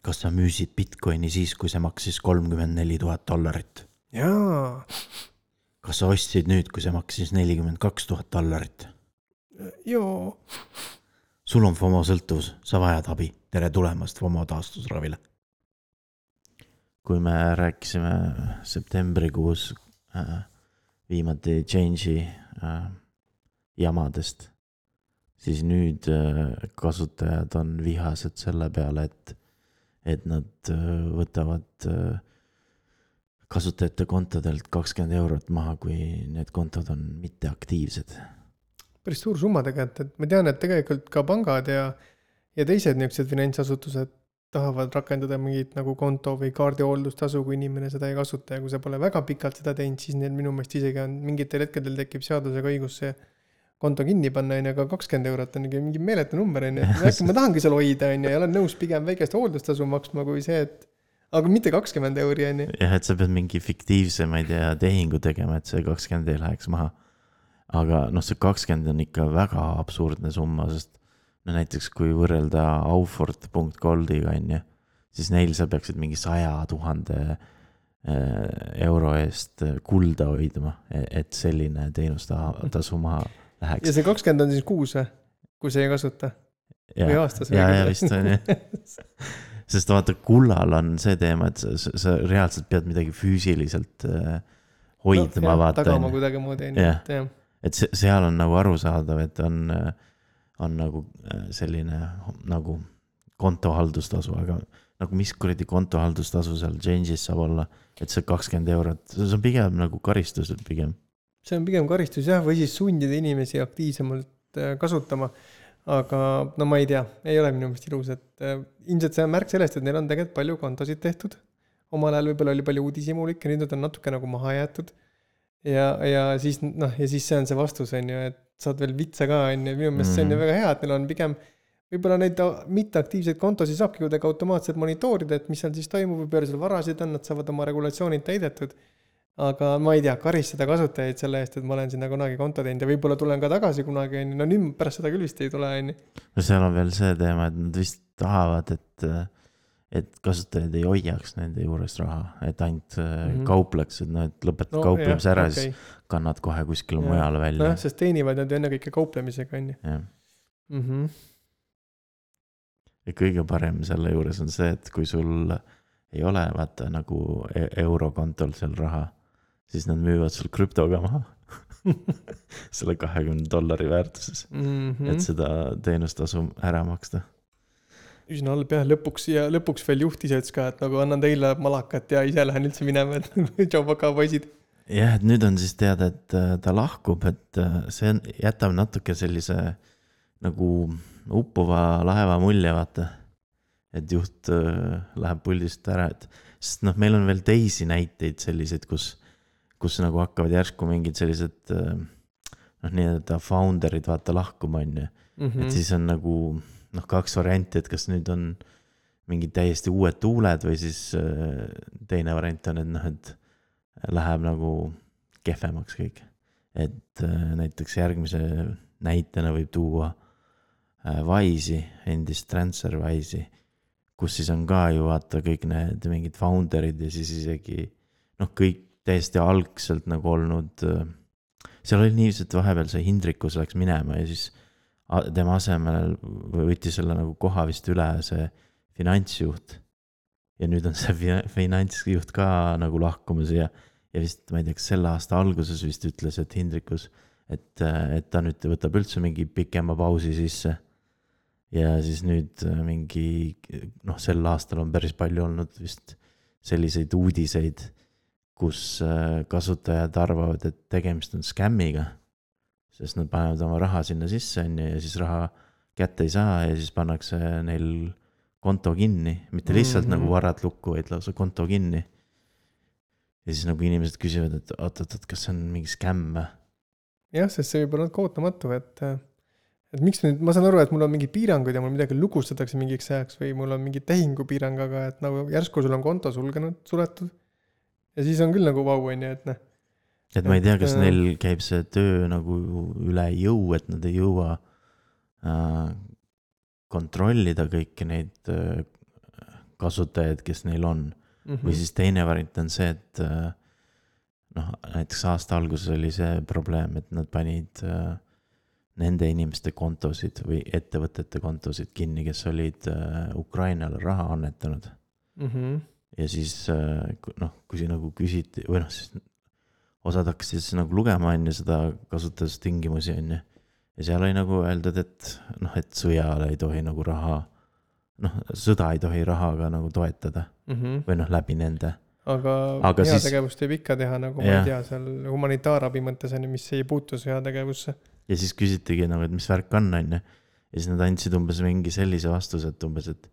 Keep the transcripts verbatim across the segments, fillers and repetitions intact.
Kas sa müüsid Bitcoini siis, kui see maksis kolmkümmend neli tuhat dollarit? Jaa. Kas sa ostsid nüüd, kui see maksis nelikümmend kaks tuhat dollarit? Joo. Sul on FOMO sõltuvus, sa vajad abi. Tere tulemast FOMO taastusravile. Kui me rääkisime septembrikuus äh, viimati Change'i äh, jamadest, siis nüüd äh, kasutajad on vihased selle peale, et, et nad äh, võtavad äh, kasutajate kontodelt kakskümmend eurot maha, kui need kontod on mitteaktiivsed. Päris suur summa tegelikult, et ma tean, et tegelikult ka pangad ja, ja teised niisugused finantsasutused tahavad rakendada mingit nagu konto või kaardihooldus-tasu, kui inimene seda ei kasuta ja kui sa pole väga pikalt seda teinud, siis neil minu meelest isegi on mingitel hetkedel tekib seadusega õigus see konto kinni panna, aga kakskümmend eurot on mingi meeletu number, et ma tahangi seal hoida ja olen nõus pigem väikest hooldustasu maksma kui see, et aga mitte kakskümmend euri on. Jah, et sa pead mingi fiktiivse, ma ei tea, tehingu tegema, et see kakskümmend ei läheks maha. Aga noh, see kakskümmend on ikka väga absurdne summa, sest no näiteks kui võrrelda Aufort punkt goldiga on ju, siis neil sa peaksid mingi saja tuhande euro eest kulda hoidma, et selline teenustasu maha läheks. Ja see kakskümmend on siis kuus, kui see ei kasuta? Ja, või aastas? Ja, ja vist on jah. Sest vaata, kullal on see teema, et sa, sa reaalselt pead midagi füüsiliselt hoidma. No, jah, vaata, tagama kuidagi moodi. Ja. Et see, seal on nagu arusaadav, et on, on nagu selline nagu kontohaldustasu, aga nagu mis kuradi kontohaldustasu seal Change'is saab olla, et see kakskümmend eurot, see on pigem nagu karistus pigem. See on pigem karistus jah, või siis sundida inimesi aktiivsemalt kasutama, aga no ma ei tea, ei ole minu meelest ilus, et ilmselt see on märk sellest, et neil on tegelikult palju kontosid tehtud, omal ajal võib-olla oli palju uudisimulik ja nüüd on natuke nagu maha jäetud ja, ja siis noh, ja siis see on see vastus on ju, et saad veel vitsa ka on ju, minu meelest see on ju väga hea, et neil on pigem võib-olla neid mitteaktiivseid kontosid saabki kuidagi automaatselt monitoorida, et mis seal siis toimub või palju seal varasid on, nad saavad oma regulatsioonid täidetud. Aga ma ei tea, karistada kasutajaid selle eest, et ma olen sinna kunagi konto teinud ja võib-olla tulen ka tagasi kunagi, no nüüd pärast seda küll vist ei tule. No seal on veel see teema, et nad vist tahavad, et, et kasutajad ei hoiaks nende juures raha, et ainult mm-hmm. kaupleks, et, no, et lõpetad no, kauplemise ära, okay. Siis kannad kohe kuskil mujale välja. No, sest teenivad nad enne kõike kauplemisega. Mm-hmm. Ja kõige parem selle juures on see, et kui sul ei ole vaata nagu eurokontol seal raha, siis nad müüvad sul krüptoga maha selle kahekümne dollari väärtuses, mm-hmm. et seda teenustasu ära maksta. Üsna halb jah, lõpuks ja lõpuks veel juhtiseks ka, et nagu annan teile malakat ja ise lähen üldse minema, et tšau paka poisid. Jah, et nüüd on siis teada, et ta lahkub, et see on, jätab natuke sellise nagu uppuva laeva mulje, vaata, et juht läheb puldist ära, et sest noh, meil on veel teisi näiteid selliseid, kus kus nagu hakkavad järsku mingid sellised noh, nii-öelda founderid vaata lahkuma on ju. Mm-hmm. Et siis on nagu noh, kaks varianti, et kas nüüd on mingid täiesti uued tuuled või siis teine variant on, et noh, et läheb nagu kehvemaks kõik. Et näiteks järgmise näitena võib tuua Wise'i, endist TransferWise'i, kus siis on ka ju vaata kõik need mingid founderid ja siis isegi noh, kõik täiesti algselt nagu olnud, seal oli nii, et vahepeal see Hindrikus läks minema ja siis tema asemel võttis selle nagu koha vist üle see finantsjuht ja nüüd on see finantsjuht ka nagu lahkumas ja, ja vist, ma ei tea, kas selle aasta alguses vist ütles, et Hindrikus, et, et ta nüüd võtab üldse mingi pikema pausi sisse ja siis nüüd mingi, noh, sel aastal on päris palju olnud vist selliseid uudiseid, kus kasutajad arvavad, et tegemist on skämmiga, sest nad panevad oma raha sinna sisse ja siis raha kätte ei saa ja siis pannakse neil konto kinni, mitte lihtsalt mm-hmm. nagu varad lukku, vaid lausa konto kinni. Ja siis nagu inimesed küsivad, et oot, oot, oot, kas see on mingi skämm? Jah, sest see võib olla kootamatu, et, et miks nüüd, ma saan aru, et mul on mingi piirangud ja mul midagi lugustatakse mingiks ajaks või mul on mingi tehingupiirang, aga et nagu järsku sul on konto sulgenud, suletud. Ja siis on küll nagu vau, on ju, et noh. Et ma ei tea, kas et, neil käib see töö nagu üle jõu, et nad ei jõua äh, kontrollida kõiki neid äh, kasutajaid, kes neil on mm. -hmm. või siis teine variant on see, et noh, näiteks aasta alguses oli see probleem, et nad panid nende inimeste kontosid või ettevõtete kontosid kinni, kes olid Ukrainale raha annetanud mm. -hmm. ja siis noh, kui siin nagu küsiti või noh, siis osad hakkasid siis nagu lugema on ju seda kasutustingimusi on ju. Ja seal oli nagu öeldud, et noh, et sõjale ei tohi nagu raha, noh, sõda ei tohi rahaga nagu toetada mm -hmm. või noh, läbi nende. Aga, aga heategevust võib ikka teha, nagu ja. ma ei tea, seal humanitaarabi mõttes on, mis ei puutu heategevusse. Ja siis küsitigi nagu, et mis värk on, on ju. Ja siis nad andsid umbes mingi sellise vastuse, et umbes, et,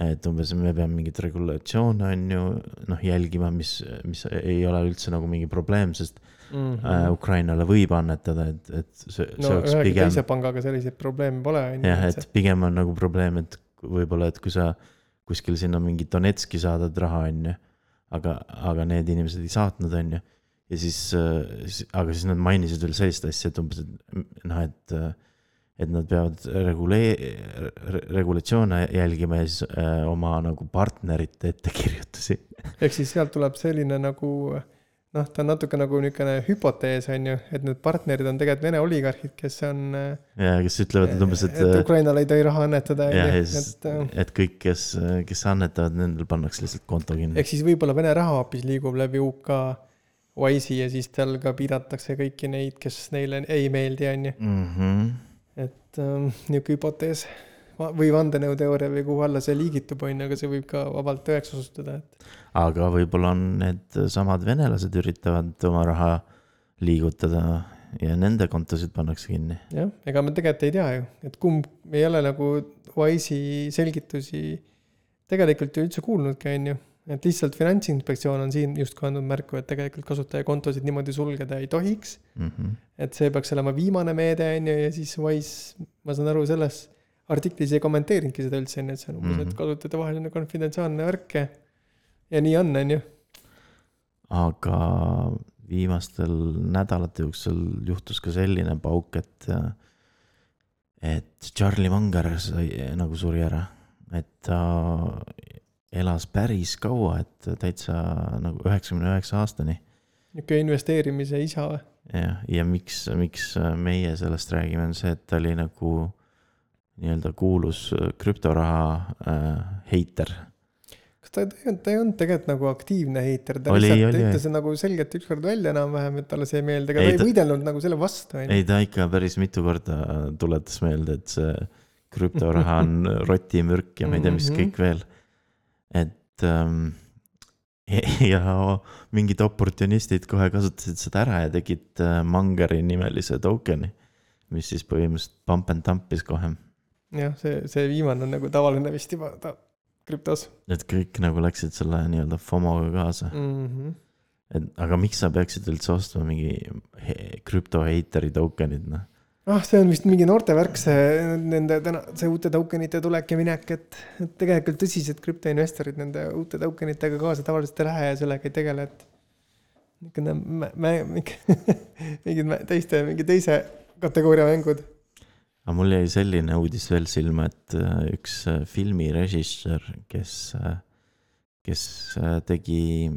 et umbes me peame mingit regulatsioone on ju, noh, jälgima, mis, mis ei ole üldse nagu mingi probleem, sest mm -hmm. äh, Ukrainale võib annetada, et, et see, no, see oleks pigem... teise pangaga selliseid probleeme pole. Jah, et pigem on nagu probleem, et võib-olla, et kui sa kuskil sinna mingi Donetski saadad raha on ju, aga, aga need inimesed ei saatnud on ju. Ja siis, aga siis nad mainisid veel sellist asja, et umbes, et noh, et, et nad peavad regulee, regulatsioone jälgima ja siis äh, oma nagu partnerite ettekirjutusi. Ehk siis sealt tuleb selline nagu, noh, ta on natuke nagu niisugune hüpotees on ju, et need partnerid on tegelikult Vene oligarhid, kes on ja kes ütlevad, et umbes, et et Ukrainale ei tohi raha annetada ja, ja siis, et, et kõik, kes, kes annetavad, nendel pannakse lihtsalt konto kinni. Ehk siis võib-olla Vene raha hoopis liigub läbi U K Wise'i ja siis tal ka piiratakse kõiki neid, kes neile ei meeldi on ju mm -hmm. et um, niisugune hüpotees või vandenõuteooria või kuhu alla see liigitub on, aga see võib ka vabalt tõeks osutuda et... aga võib-olla on need samad venelased üritavad oma raha liigutada ja nende kontosid pannakse kinni. Jah, ega me tegelikult ei tea ju, et kumb me ei ole nagu Wise'i selgitusi tegelikult ju üldse kuulnudki on ju, et lihtsalt Finantsinspektsioon on siin just andnud märku, et tegelikult kasutajakontosid niimoodi sulgeda ei tohiks mm -hmm. et see peaks olema viimane meede on ju ja siis Wise, ma saan aru selles artiklis ei kommenteerinudki seda üldse, et see on umbes, mm -hmm. et kasutajate vaheline konfidentsiaalne värk ja, ja nii on, on ju. Aga viimastel nädalate jooksul juhtus ka selline pauk, et et Charlie Munger sai nagu suri ära, et ta elas päris kaua, et täitsa nagu üheksakümne üheksa aastani. Niisugune investeerimise isa või? Ja, ja miks, miks meie sellest räägime, on see, et ta oli nagu nii-öelda kuulus krüptoraha äh, heiter. Kas ta, ta ei olnud tegelikult nagu aktiivne heiter, ta oli, lihtsalt oli, ütles nagu selgelt ükskord välja enam-vähem, et talle see ei meelde, aga ei, ta ei võidelnud nagu selle vastu. Ei, ta ikka päris mitu korda tuletas meelde, et see krüptoraha on rotimürk ja ma ei tea, mis kõik veel. Et ähm, ja mingid oportunistid kohe kasutasid seda ära ja tegid Mungeri nimelise tokeni, mis siis põhimõtteliselt pump and dumpis kohe. Jah, see, see viimane on nagu tavaline vist juba ta krüptos. Et kõik nagu läksid selle nii-öelda FOMOga kaasa. Mm -hmm. Et, aga miks sa peaksid üldse ostma mingi krüptoheiteri tokenid? No? Ah, see on vist mingi noorte värk, see, nende, täna, see uute tokenite tulek ja minek, et, et tegelikult tõsised krüptoinvestorid nende uute tokenitega kaasa tavaliselt ei lähe ja sellega ei tegele, et mingid teiste, mingi teise kategooria mängud. Aga mul jäi selline uudis veel silma, et üks filmirežissöör, kes, kes tegi,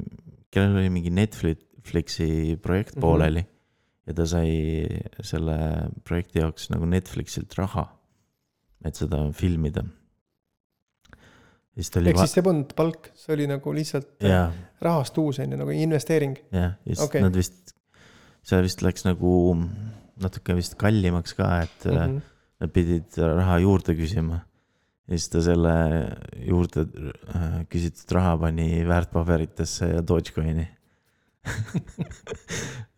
kellel oli mingi Netflixi projekt pooleli mm -hmm. ja ta sai selle projekti jaoks nagu Netflixilt raha, et seda filmida. Ehk va- siis see polnud palk, see oli nagu lihtsalt ja. rahast uus, nagu investeering. Jah, ja okay. Nad vist, see vist läks nagu natuke vist kallimaks ka, et mm -hmm. nad pidid raha juurde küsima. Ja siis ta selle juurde küsitud raha pani väärtpaberitesse ja Dogecoini.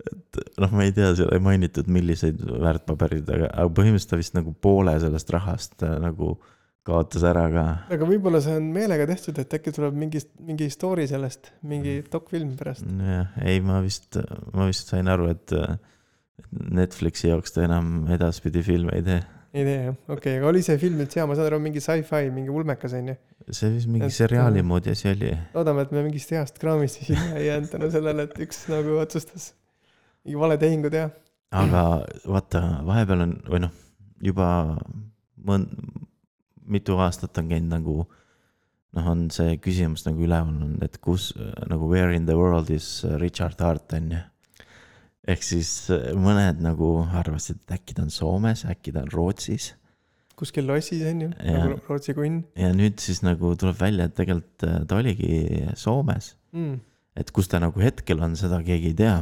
et noh, ma ei tea, seal ei mainitud milliseid väärtpaberid, aga, aga põhimõtteliselt ta vist nagu poole sellest rahast nagu kaotas ära ka. Aga võib-olla see on meelega tehtud, et äkki tuleb mingi, mingi story sellest, mingi dokfilm pärast. Ja, ei, ma vist, ma vist sain aru, et Netflixi jaoks ta enam edaspidi filme ei tee. Ei tee, jah. Okei, okay, aga oli see film üldse hea, ma saan aru, mingi sci-fi, mingi ulmekas on ju. See vist mingi et, seriaali moodi asi oli. Loodame, et me mingist heast kraamist siin ei jäänud tänu sellele, et üks nagu otsustas mingi vale tehingu teha. Aga vaata, vahepeal on, või noh, juba mõn, mitu aastat on käinud nagu noh, on see küsimus nagu üleval olnud, et kus nagu where in the world is Richard Hart on ju. Ehk siis mõned nagu arvasid, et äkki ta on Soomes, äkki ta on Rootsis. Kuskil lossis on ju, nagu Rootsi kunn. Ja nüüd siis nagu tuleb välja, et tegelikult ta oligi Soomes. Mm. Et kus ta nagu hetkel on, seda keegi ei tea.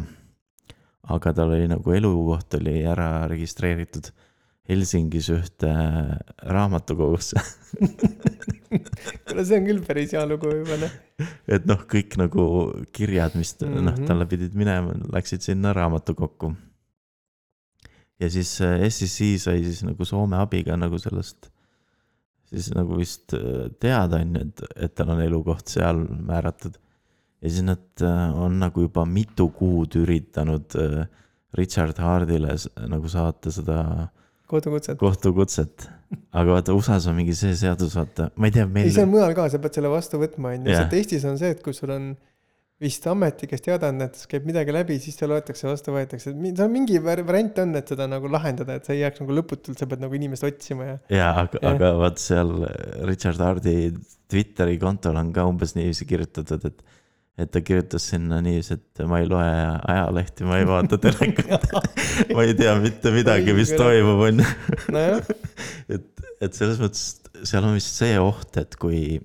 Aga tal oli nagu elukoht oli ära registreeritud Helsingis ühte raamatukogusse. Kuna see on küll päris hea lugu juba, ne? Et noh, kõik nagu kirjad, mis ta, mm-hmm. noh, talle pidid minema, läksid sinna raamatukokku. Ja siis S E C sai siis nagu Soome abiga nagu sellest siis nagu vist teada on, et, et tal on elukoht seal määratud. Ja siis nad on nagu juba mitu kuud üritanud Richard Hardile nagu saata seda kohtukutset. kohtukutset. Aga vaata, U S A-s on mingi see seadus, vaata, ma ei tea, meil... Ei, see on mujal ka, sa pead selle vastu võtma. Yeah. Eestis on see, et kui sul on vist ameti, kes teadanud, et käib midagi läbi, siis see loetakse vastu võetakse. See on mingi variant on, et seda nagu lahendada, et sa ei jääks nagu lõputult, sa pead nagu inimest otsima. Ja, ja aga, ja. aga vaat seal Richard Hardi Twitteri kontol on ka umbes niiviisi kirjutatud, et et ta kirjutas sinna niiviisi, et ma ei loe ajalehti, ma ei vaata telekat, ma ei tea mitte midagi, mis toimub on. No et, et selles mõttes seal on vist see oht, et kui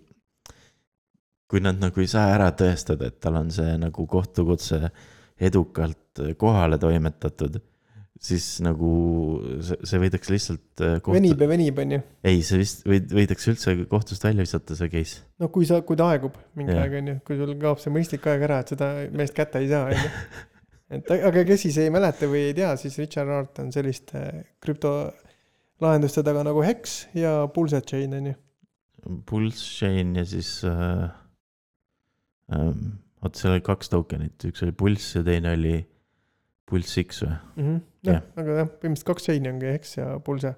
kui nad nagu ei saa ära tõestada, et tal on see nagu kohtukutse edukalt kohale toimetatud, siis nagu see, see võidaks lihtsalt kohtu... venib ja venib on ju. Ei, see vist võid, võidaks üldse kohtust välja visata see case. No kui, sa, kui ta aegub mingi ja. aeg on ju, kui sul kaob see mõistlik aeg ära, et seda meest kätte ei saa on ju. Et, aga kes siis ei mäleta või ei tea, siis Richard Hart on selliste krüptolahenduste taga nagu Hex ja Pulse Chain on ju. Pulse Chain ja siis äh, ähm, oot, seal oli kaks tokenit, üks oli Pulse ja teine oli Pulse X või? Mm-hmm. Ja, ja. Aga jah, põhimõtteliselt kaks chaini ongi Hex ja Pulse.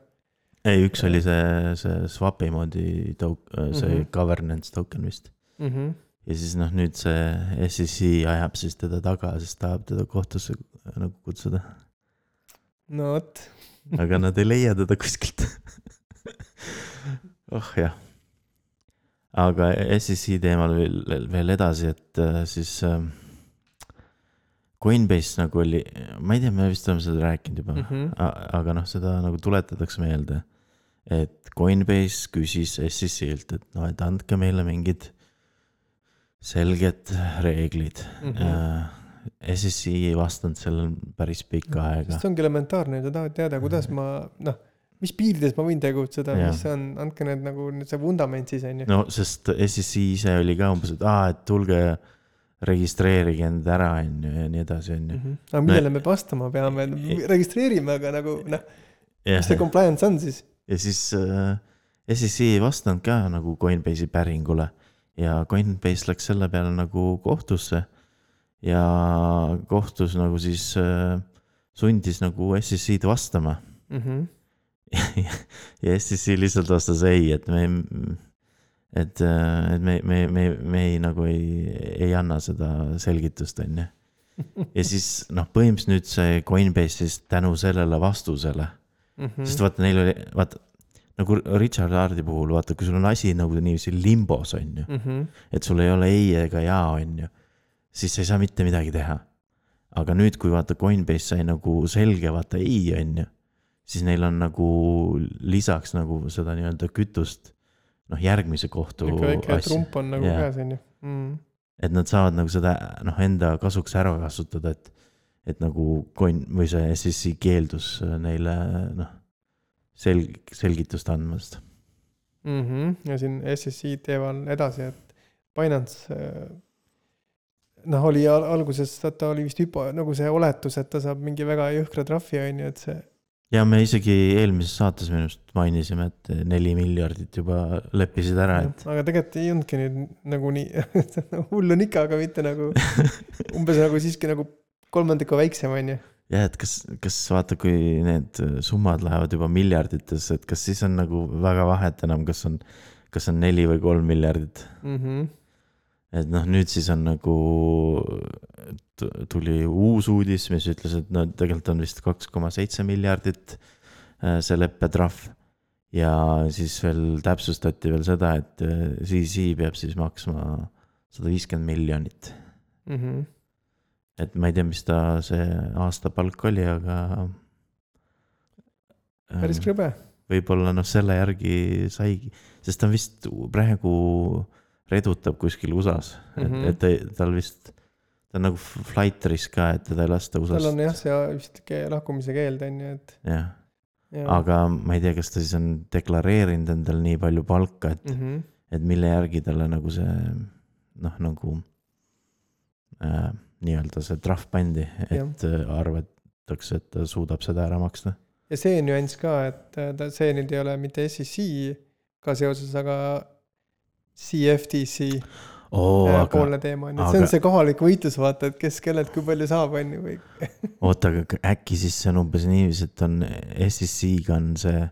Ei, üks oli see, see swapi moodi tok, see mm-hmm. governance token vist. Mm-hmm. Ja siis noh, nüüd see S E C ajab siis teda taga, siis tahab teda kohtusse nagu kutsuda. No võt. Aga nad ei leia teda kuskilt. Oh jah. Aga S E C teemal veel, veel edasi, et siis... Coinbase nagu oli, ma ei tea, me vist oleme seda rääkinud juba, mm-hmm. aga noh, seda nagu tuletatakse meelde, et Coinbase küsis S E C-lt, et noh, et andke meile mingid selged reeglid. Mm-hmm. S E C ei vastanud sellel päris pikka aega. See ongi elementaarne, sa tahad teada, kuidas ma, noh, mis piirides ma võin tegutseda, ja. Mis on, andke need nagu see vundament siis on ju. No, sest S E C ise oli ka umbes, et aa, et tulge registreerige end ära on ju ja nii edasi on ju. Mm-hmm. Aga millele no, me vastama peame? Registreerime, aga nagu, noh, mis see compliance on siis? Ja siis äh, S E C ei vastanud ka nagu Coinbase'i päringule ja Coinbase läks selle peale nagu kohtusse ja kohtus nagu siis äh, sundis nagu S E C-d vastama. Mm-hmm. ja S E C lihtsalt vastas ei, et me et, et me, me, me, me ei, nagu ei, ei anna seda selgitust, on ju. Ja siis, noh, põhimõtteliselt nüüd see Coinbase siis tänu sellele vastusele, mm-hmm. sest vaata, neil oli, vaata, nagu Richard Hardi puhul, vaata, kui sul on asi nagu niiviisi limbos, on ju, mm-hmm. et sul ei ole ei ega jaa, on ju, siis sa ei saa mitte midagi teha. Aga nüüd, kui vaata, Coinbase sai nagu selge, vaata, ei, on ju, siis neil on nagu lisaks nagu seda nii-öelda kütust, noh, järgmise kohtu asja. Väike trump on nagu yeah. käes, on ju. Mm. Et nad saavad nagu seda, noh, enda kasuks ära kasutada, et, et nagu coin, või see S E C keeldus neile, noh, selg, selgitust andmast. Mm-hmm. Ja siin S E C teeval edasi, et Binance, noh, oli alguses, ta oli vist hüpo, nagu see oletus, et ta saab mingi väga jõhkra trahvi, on ju, et see ja me isegi eelmises saates minust mainisime, et neli miljardit juba leppisid ära. Et... aga tegelikult ei jõudnudki nüüd nagu nii, hull on ikka, aga mitte nagu, umbes nagu siiski nagu kolmandiku väiksem on ju. Ja, et kas, kas vaata, kui need summad lähevad juba miljardites, et kas siis on nagu väga vahet enam, kas on, kas on neli või kolm miljardit. Mm-hmm. Et noh, nüüd siis on nagu, tuli uus uudis, mis ütles, et no tegelikult on vist kaks koma seitse miljardit see leppetrahv ja siis veel täpsustati veel seda, et C C peab siis maksma sada viiskümmend miljonit. Mhm. Et ma ei tea, mis ta see aastapalk oli, aga Päris krõbe. võib-olla noh, selle järgi saigi, sest ta vist praegu redutab kuskil U S A-s, et, Mhm. et ta- tal vist, ta on nagu flight risk ka, et teda ei lasta U S Tal on A-st. jah, see vist ke- lahkumise keeld on ju, et Jah, ja. aga ma ei tea, kas ta siis on deklareerinud endal nii palju palka, et, Mhm. et mille järgi talle nagu see noh, nagu äh, nii-öelda see trahv pandi, et äh, arvatakse, et ta suudab seda ära maksta. Ja see nüanss ka, et äh, ta, see nüüd ei ole mitte S E C ka seoses, aga C F T C Oo, äh, aga, poolne teema on ju. See aga- on see kohalik võitlus, vaata, et kes kellelt kui palju saab, on ju. Või... oota, aga äkki siis see on umbes niiviisi, et on S E C-ga on see,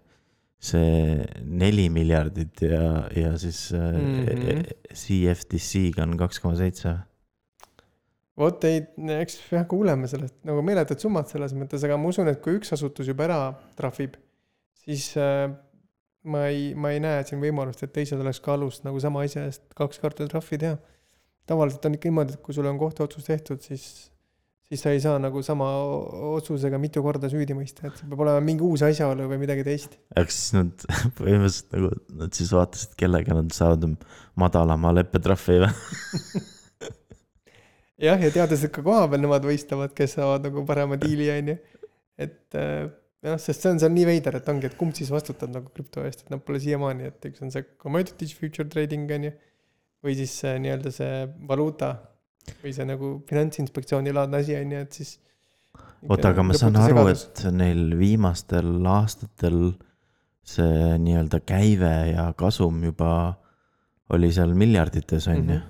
see neli miljardit ja, ja siis Mhm. C F T C-ga on kaks koma seitse. Vot ei, eks jah, kuuleme sellest nagu meeletud summad selles mõttes, aga ma usun, et kui üks asutus juba ära trahvib, siis äh, ma ei, ma ei näe siin võimalust, et teised oleks ka alust nagu sama asja eest kaks korda trahvi teha. Tavaliselt on ikka niimoodi, et kui sul on kohtuotsus tehtud, siis, siis sa ei saa nagu sama otsusega mitu korda süüdi mõista, et see peab olema mingi uus asjaolu või midagi teist. Aga siis nad põhimõtteliselt nagu, nad siis vaatasid, kellega nad saavad madalama leppetrahvi või? Jah, ja teades, et ka koha peal nemad võistlevad, kes saavad nagu parema diili, on ju. Et äh, jah, sest see on seal nii veider, et ongi, et kumb siis vastutab nagu krüpto eest, et nad pole siiamaani, et üks on see commodities future trading, on ju, või siis see, nii-öelda see valuuta või see nagu finantsinspektsiooni laadne asi, on ju, et siis oota, aga ma saan aru, et neil viimastel aastatel see nii-öelda käive ja kasum juba oli seal miljardites, on ju.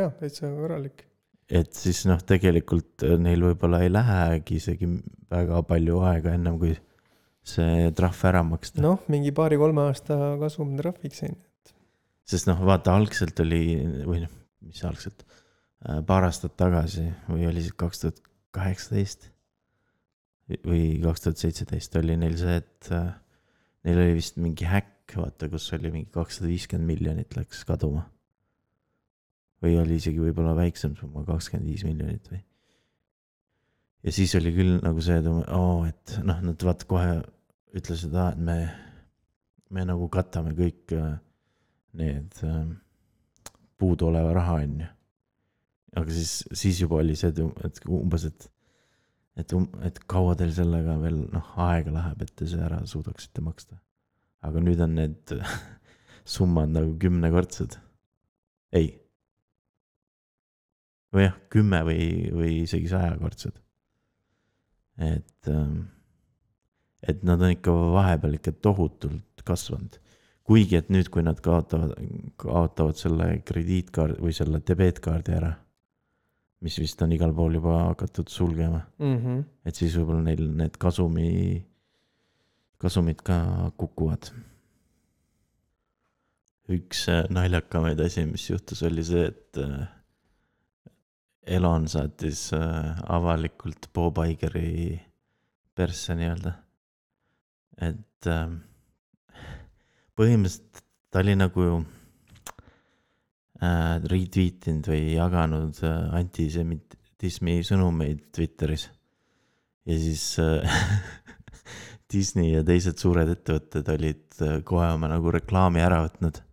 Jah, täitsa korralik. Et siis noh, tegelikult neil võib-olla ei lähegi isegi väga palju aega ennem, kui see trahv ära maksta. Noh, mingi paari-kolme aasta kasum trahviks, on ju. Sest noh, vaata, algselt oli, või noh, mis algselt, paar aastat tagasi või oli siis kaks tuhat kaheksateist või kaks tuhat seitseteist oli neil see, et neil oli vist mingi häkk, vaata, kus oli mingi kakssada viiskümmend miljonit läks kaduma. Või oli isegi võib-olla väiksem summa, kakskümmend viis miljonit või. Ja siis oli küll nagu see, et, oh, et noh, nad vaata kohe ütlesid, et me, me nagu katame kõik need puudu oleva raha, on ju. Aga siis, siis juba oli see, et umbes, et, et, et kaua teil sellega veel noh, aega läheb, et te see ära suudaksite maksta. Aga nüüd on need summad nagu kümnekordsed. Ei. Või jah, kümme või, või isegi sajakordsed. Et, et nad on ikka vahepeal ikka tohutult kasvanud. Kuigi, et nüüd, kui nad kaotavad, kaotavad selle krediitkaardi või selle debeetkaardi ära, mis vist on igal pool juba hakatud sulgema. Mm-hmm. Et siis võib-olla neil need kasumi, kasumid ka kukuvad. Üks naljakamaid asi, mis juhtus, oli see, et Elon saatis avalikult Bob Igeri persse nii-öelda. Et põhimõtteliselt ta oli nagu retweetinud või jaganud antisemitismi sõnumeid Twitteris. Ja siis Disney ja teised suured ettevõtted olid kohe oma nagu reklaami ära võtnud.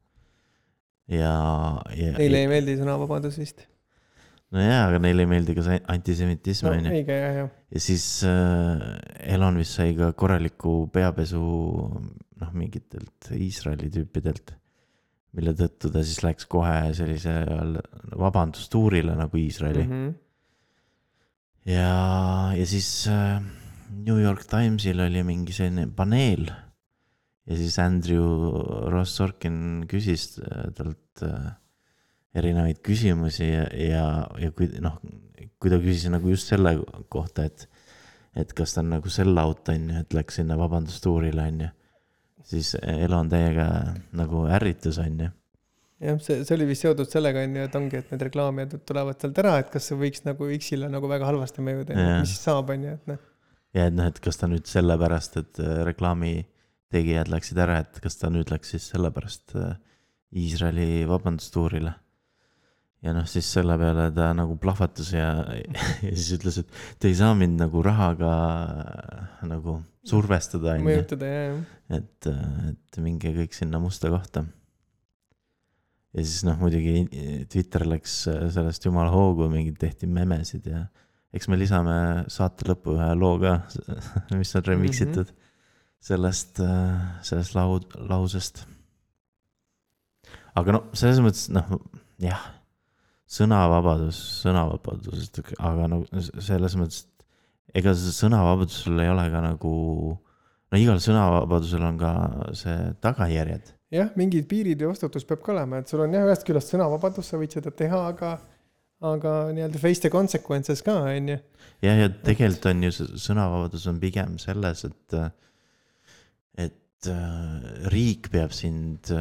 Ja, ja, neile ei meeldi sõnavabadus vist. No jaa, aga neile ei meeldi ka see antisemitism. No, õige, jah, jah. Ja siis äh, Elon vist sai ka korraliku peapesu noh, mingitelt Iisraeli tüüpidelt, mille tõttu ta siis läks kohe sellise vabandustuurile nagu Iisraeli. Mm-hmm. Ja, ja siis äh, New York Timesil oli mingi selline paneel ja siis Andrew Ross Sorkin küsis talt äh, erinevaid küsimusi ja, ja, ja kui, noh, kui ta küsis nagu just selle kohta, et, et kas ta on nagu sell out, on ju, et läks sinna vabandustuurile, on ju, siis Elon täiega nagu ärritus, on ju. Jah, see, see oli vist seotud sellega, on ju, et ongi, et need reklaamijad tulevad sealt ära, et kas see võiks nagu X-ile nagu väga halvasti mõjuda, mis siis saab, on ju, et noh. Ja, et noh, et kas ta nüüd sellepärast, et reklaami tegijad läksid ära, et kas ta nüüd läks siis sellepärast Iisraeli vabandustuurile. Ja noh, siis selle peale ta nagu plahvatus ja, ja siis ütles, et te ei saa mind nagu rahaga nagu survestada. Mõjutada, jah, jah. Et, et minge kõik sinna musta kohta. Ja siis noh, muidugi Twitter läks sellest jumala hoogu, mingid tehti memesid ja eks me lisame saate lõppu ühe loo ka, mis on remixitud sellest, sellest lau, lausest. Aga no, selles mõttes, noh, jah, sõnavabadus, sõnavabadusest, aga no selles mõttes, ega see sõnavabadusel ei ole ka nagu, no igal sõnavabadusel on ka see tagajärjed. Jah, mingid piirid ja vastutus peab ka olema, et sul on jah ühest küljest sõnavabadus, sa võid seda teha, aga, aga nii-öelda face the consequences ka, on ju. Ja, ja tegelikult on ju sõnavabadus on pigem selles, et, et riik peab sind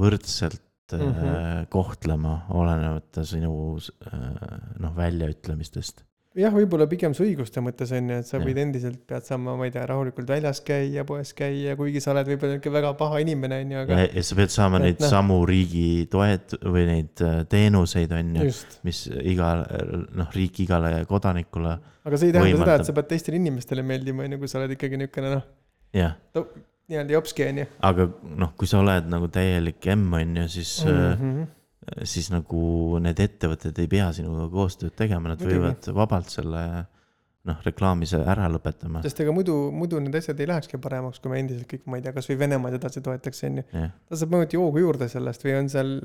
võrdselt Mm-hmm. kohtlema olenevate sinu noh, väljaütlemistest. Jah, võib-olla pigem su õiguste mõttes on, et sa võid ja. endiselt pead saama, ma ei tea, rahulikult väljas käia, poes käia, kuigi sa oled võib-olla väga paha inimene. On, aga... ja, ja sa pead saama et, neid noh. samu riigi toet või neid teenuseid, on ju, mis iga, noh, riik igale kodanikule aga see ei tähenda võimaldab. Seda, et sa pead teistele inimestele meeldima, kui sa oled ikkagi niisugune, noh, jah. To... nii-öelda jopski on ju. Aga noh, kui sa oled nagu täielik M on ju, siis, mm-hmm. siis nagu need ettevõtted ei pea sinuga koostööd tegema, nad Muidugi. võivad vabalt selle noh, reklaamise ära lõpetama. Sest ega muidu, muidu need asjad ei lähekski paremaks, kui me endiselt kõik, ma ei tea, kas või Venemaad edasi toetaks on ju. Yeah. Ta saab mõjuti joogu juurde sellest või on seal,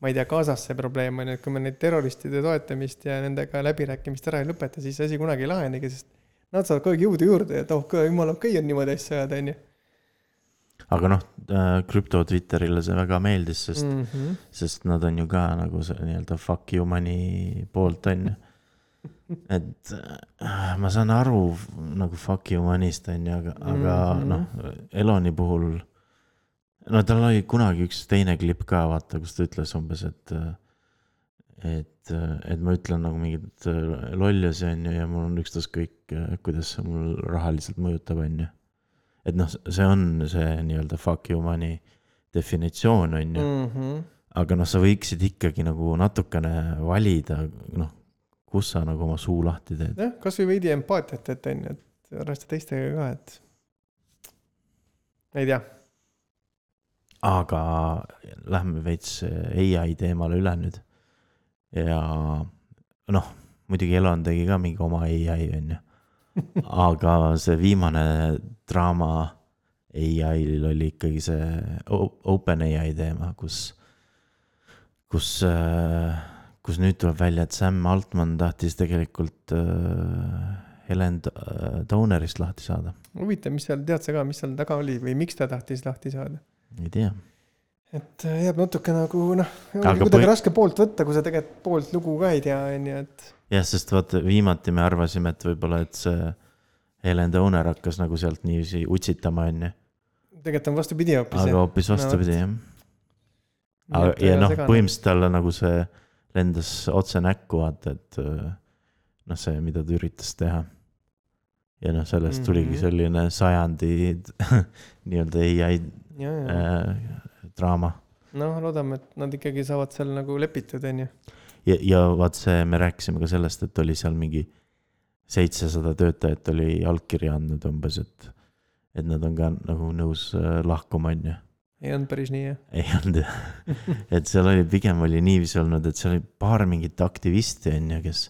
ma ei tea, Gazas see probleem on, et kui me neid terroristide toetamist ja nendega läbirääkimist ära ei lõpeta, siis asi kunagi ei lahenegi, sest nad saavad kogu jõudu juurde ja toh, jumal okei on niimoodi asja ajada on ju. Aga noh, krüpto Twitterile see väga meeldis, sest, mm-hmm. sest nad on ju ka nagu see nii-öelda fuck you money poolt on ju. Et ma saan aru nagu fuck you money'st on ju, aga, aga mm-hmm. noh, Eloni puhul, no tal oli kunagi üks teine klipp ka, vaata, kus ta ütles umbes, et, et, et ma ütlen nagu mingid lollusi on ju ja mul on ükstas kõik, kuidas see mul rahaliselt mõjutab on ju. Et noh, see on see nii-öelda fuck you money definitsioon on ju, mm-hmm. aga noh, sa võiksid ikkagi nagu natukene valida, noh, kus sa nagu oma suu lahti teed. Jah, kas või veidi empaatiat, et on ju, et arvesta teistega ka, et ei tea. Aga lähme veits A I teemale üle nüüd ja noh, muidugi Elon tegi ka mingi oma A I on ju. Aga see viimane draama A I-l oli ikkagi see Open A I teema, kus, kus, kus nüüd tuleb välja, et Sam Altman tahtis tegelikult Helen Downerist lahti saada. Huvitav, mis seal, tead sa ka, mis seal taga oli või miks ta tahtis lahti saada? Ei tea. Et jääb natuke nagu, noh, kuidagi põhi... raske poolt võtta, kui sa tegelikult poolt lugu ka ei tea, on ju, et... jah, sest vaata, viimati me arvasime, et võib-olla, et see Helen Downer hakkas nagu sealt niiviisi utsitama, on ju. Tegelikult on vastupidi hoopis. Aga hoopis vastupidi, jah. Aga, ja noh, põhimõtteliselt talle nagu see lendas otse näkku, vaata, et noh, see, mida ta üritas teha. Ja noh, sellest tuligi mm-hmm. selline sajandi nii-öelda A I ja, ja. Äh, draama. No, loodame, et nad ikkagi saavad seal nagu lepitud, on ju. Ja, ja vaat see, me rääkisime ka sellest, et oli seal mingi seitsesada töötajat oli allkirja andnud umbes, et, et nad on ka nagu nõus lahkuma, on ju. Ei olnud päris nii, jah? Ei olnud, jah. Et seal oli, pigem oli niiviisi olnud, et seal oli paar mingit aktivisti, on ju, kes,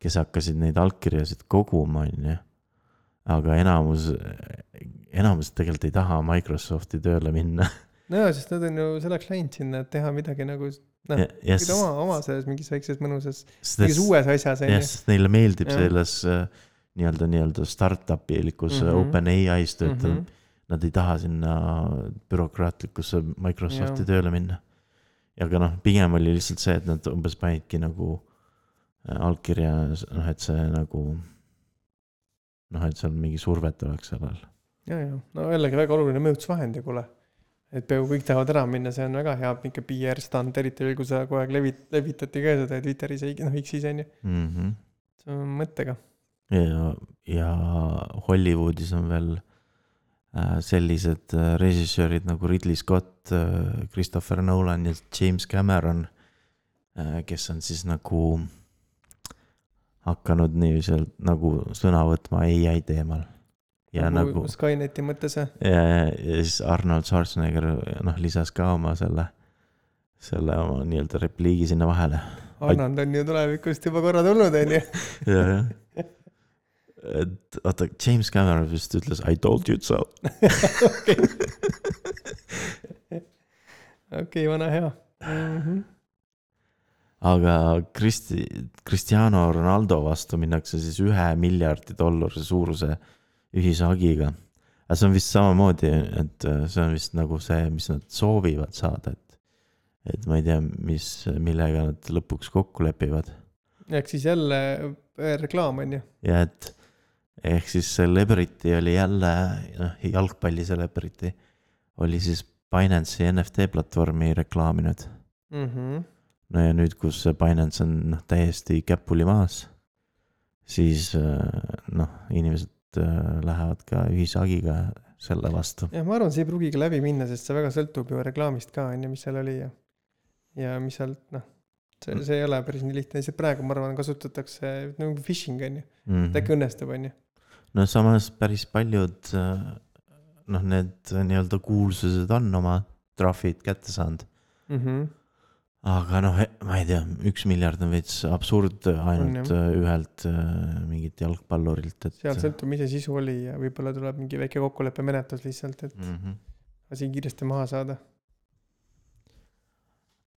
kes hakkasid neid allkirjasid koguma, on ju. Aga enamus, enamus tegelikult ei taha Microsofti tööle minna. No jah, sest nad on ju selleks läinud sinna, et teha midagi nagu... noh, ja, yes. oma, oma selles mingis väikses mõnusas, mingis uues asjas. jah, sest neile meeldib ja. selles nii-öelda, nii-öelda startup-ilikus mm-hmm. Open A I-s töötada. Mm-hmm. Nad ei taha sinna bürokraatlikusse Microsofti ja. tööle minna. Aga noh, pigem oli lihtsalt see, et nad umbes panidki nagu allkirja, noh, et see nagu noh, et seal mingi survet oleks sellel. Ja, ja. No jällegi väga oluline mõjutusvahend ja kuule. Et peaaegu kõik tahavad ära minna, see on väga hea mingi P R-stand, eriti veel, kui sa kogu aeg levit, levitati ka seda Twitteris, noh, X-is on ju. Mm-hmm. See on mõttega. Ja, ja Hollywoodis on veel sellised režissöörid nagu Ridley Scott, Christopher Nolan ja James Cameron, kes on siis nagu hakanud niiviselt nagu sõna võtma A I teemal. Ja nagu, nagu Skyneti mõttes. Ja, ja siis Arnold Schwarzenegger noh, lisas ka oma selle, selle oma nii-öelda repliigi sinna vahele. Arnold on ju tulevikust juba korra tulnud, on ju. ja, jah. Et oota, James Cameron vist ütles I told you so. Okei, okay, vana hea. Mm-hmm. Aga Kristi, Cristiano Ronaldo vastu minnakse siis ühe miljardi dollari suuruse ühishagiga. Aga see on vist samamoodi, et see on vist nagu see, mis nad soovivad saada, et, et ma ei tea, mis, millega nad lõpuks kokku lepivad. Ehk siis jälle reklaam on ju. Ja et ehk siis Celebrity oli jälle, noh, jalgpalli Celebrity oli siis Binance'i N F T platvormi reklaaminud. Mhm. No ja nüüd, kus Binance on noh, täiesti käpuli maas, siis noh, inimesed lähevad ka ühishagiga selle vastu. Ja ma arvan, see ei pruugiga läbi minna, sest see väga sõltub ju reklaamist ka, on ju, mis seal oli ja, ja mis sealt, noh, see, see ei ole päris nii lihtne. Lihtsalt praegu, ma arvan, kasutatakse nagu phishing, on ju. Mm-hmm. Ta õnnestub, on ju. No samas päris paljud noh, need nii-öelda kuulsused on oma trahvid kätte saanud. Mhm. Aga noh, ma ei tea, üks miljard on veits absurd ainult on, ühelt mingit jalgpallurilt. Et... Seal sõltub, mis see sisu oli ja võib-olla tuleb mingi väike kokkuleppe menetlus lihtsalt, et mm-hmm. asi kiiresti maha saada.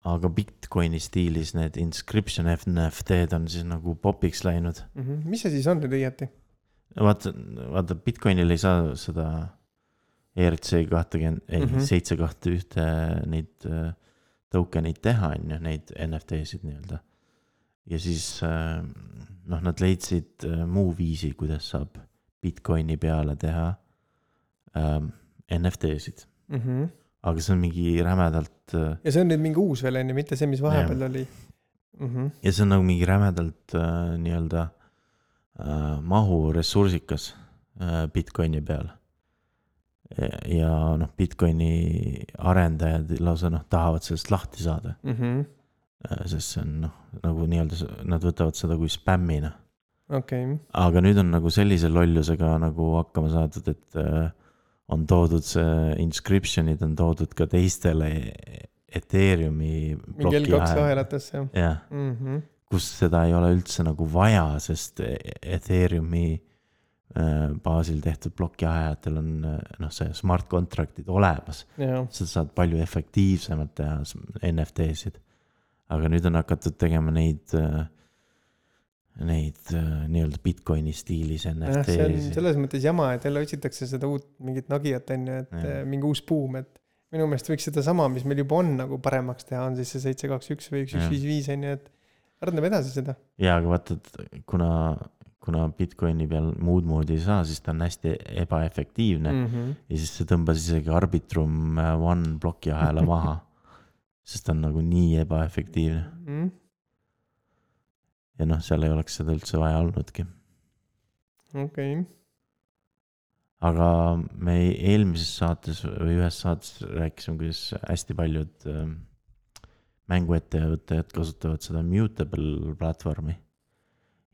Aga Bitcoini stiilis need inscription N F T-d on siis nagu popiks läinud. Mm-hmm. Mis see siis on nüüd õieti? Vaata, vaata, Bitcoinil ei saa seda E R C kakskümmend, ei, mm-hmm. seitse kahte ühte neid... tokenid teha, on ju, neid N F T-sid nii-öelda. Ja siis noh, nad leidsid muu viisi, kuidas saab Bitcoini peale teha ähm, N F T-sid. Mm-hmm. Aga see on mingi rämedalt... Ja see on nüüd mingi uus veel, mitte see, mis vahepeal ja. Oli. Mm-hmm. Ja see on nagu mingi rämedalt äh, nii-öelda äh, mahu ressursikas äh, Bitcoini peale. Ja noh, Bitcoini arendajad lausa noh, tahavad sellest lahti saada. Mm-hmm. Sest see on noh, nagu nii-öelda, nad võtavad seda kui spämmina. Okay. Aga nüüd on nagu sellise lollusega nagu hakkama saadud, et on toodud see inscriptionid, on toodud ka teistele Ethereumi mingi L kaks ahelatesse. Jah, mm-hmm. Kus seda ei ole üldse nagu vaja, sest Ethereumi baasil tehtud blokiajatel on noh, see smart contractid olemas. Ja. Sa saad palju efektiivsemalt teha N F T-sid. Aga nüüd on hakatud tegema neid, neid nii-öelda Bitcoini stiilis N F T-sid. See on selles mõttes jama, et jälle otsitakse seda uut mingit nagijat, et ja. Mingi uus buum, et minu meelest võiks seda sama, mis meil juba on nagu paremaks teha, on siis see seitse kaks üks või üks üks viis viis, et arendab edasi seda. Ja, aga vaata, kuna kuna Bitcoini peal muud moodi ei saa, siis ta on hästi ebaefektiivne mm-hmm. ja siis see tõmbas isegi Arbitrum One bloki ahela maha, sest ta on nagu nii ebaefektiivne. Mm-hmm. Ja noh, seal ei oleks seda üldse vaja olnudki. Okei. Okay. Aga me eelmises saates või ühes saates rääkisime, kuidas hästi paljud mänguettevõtted kasutavad seda Mutable platvormi.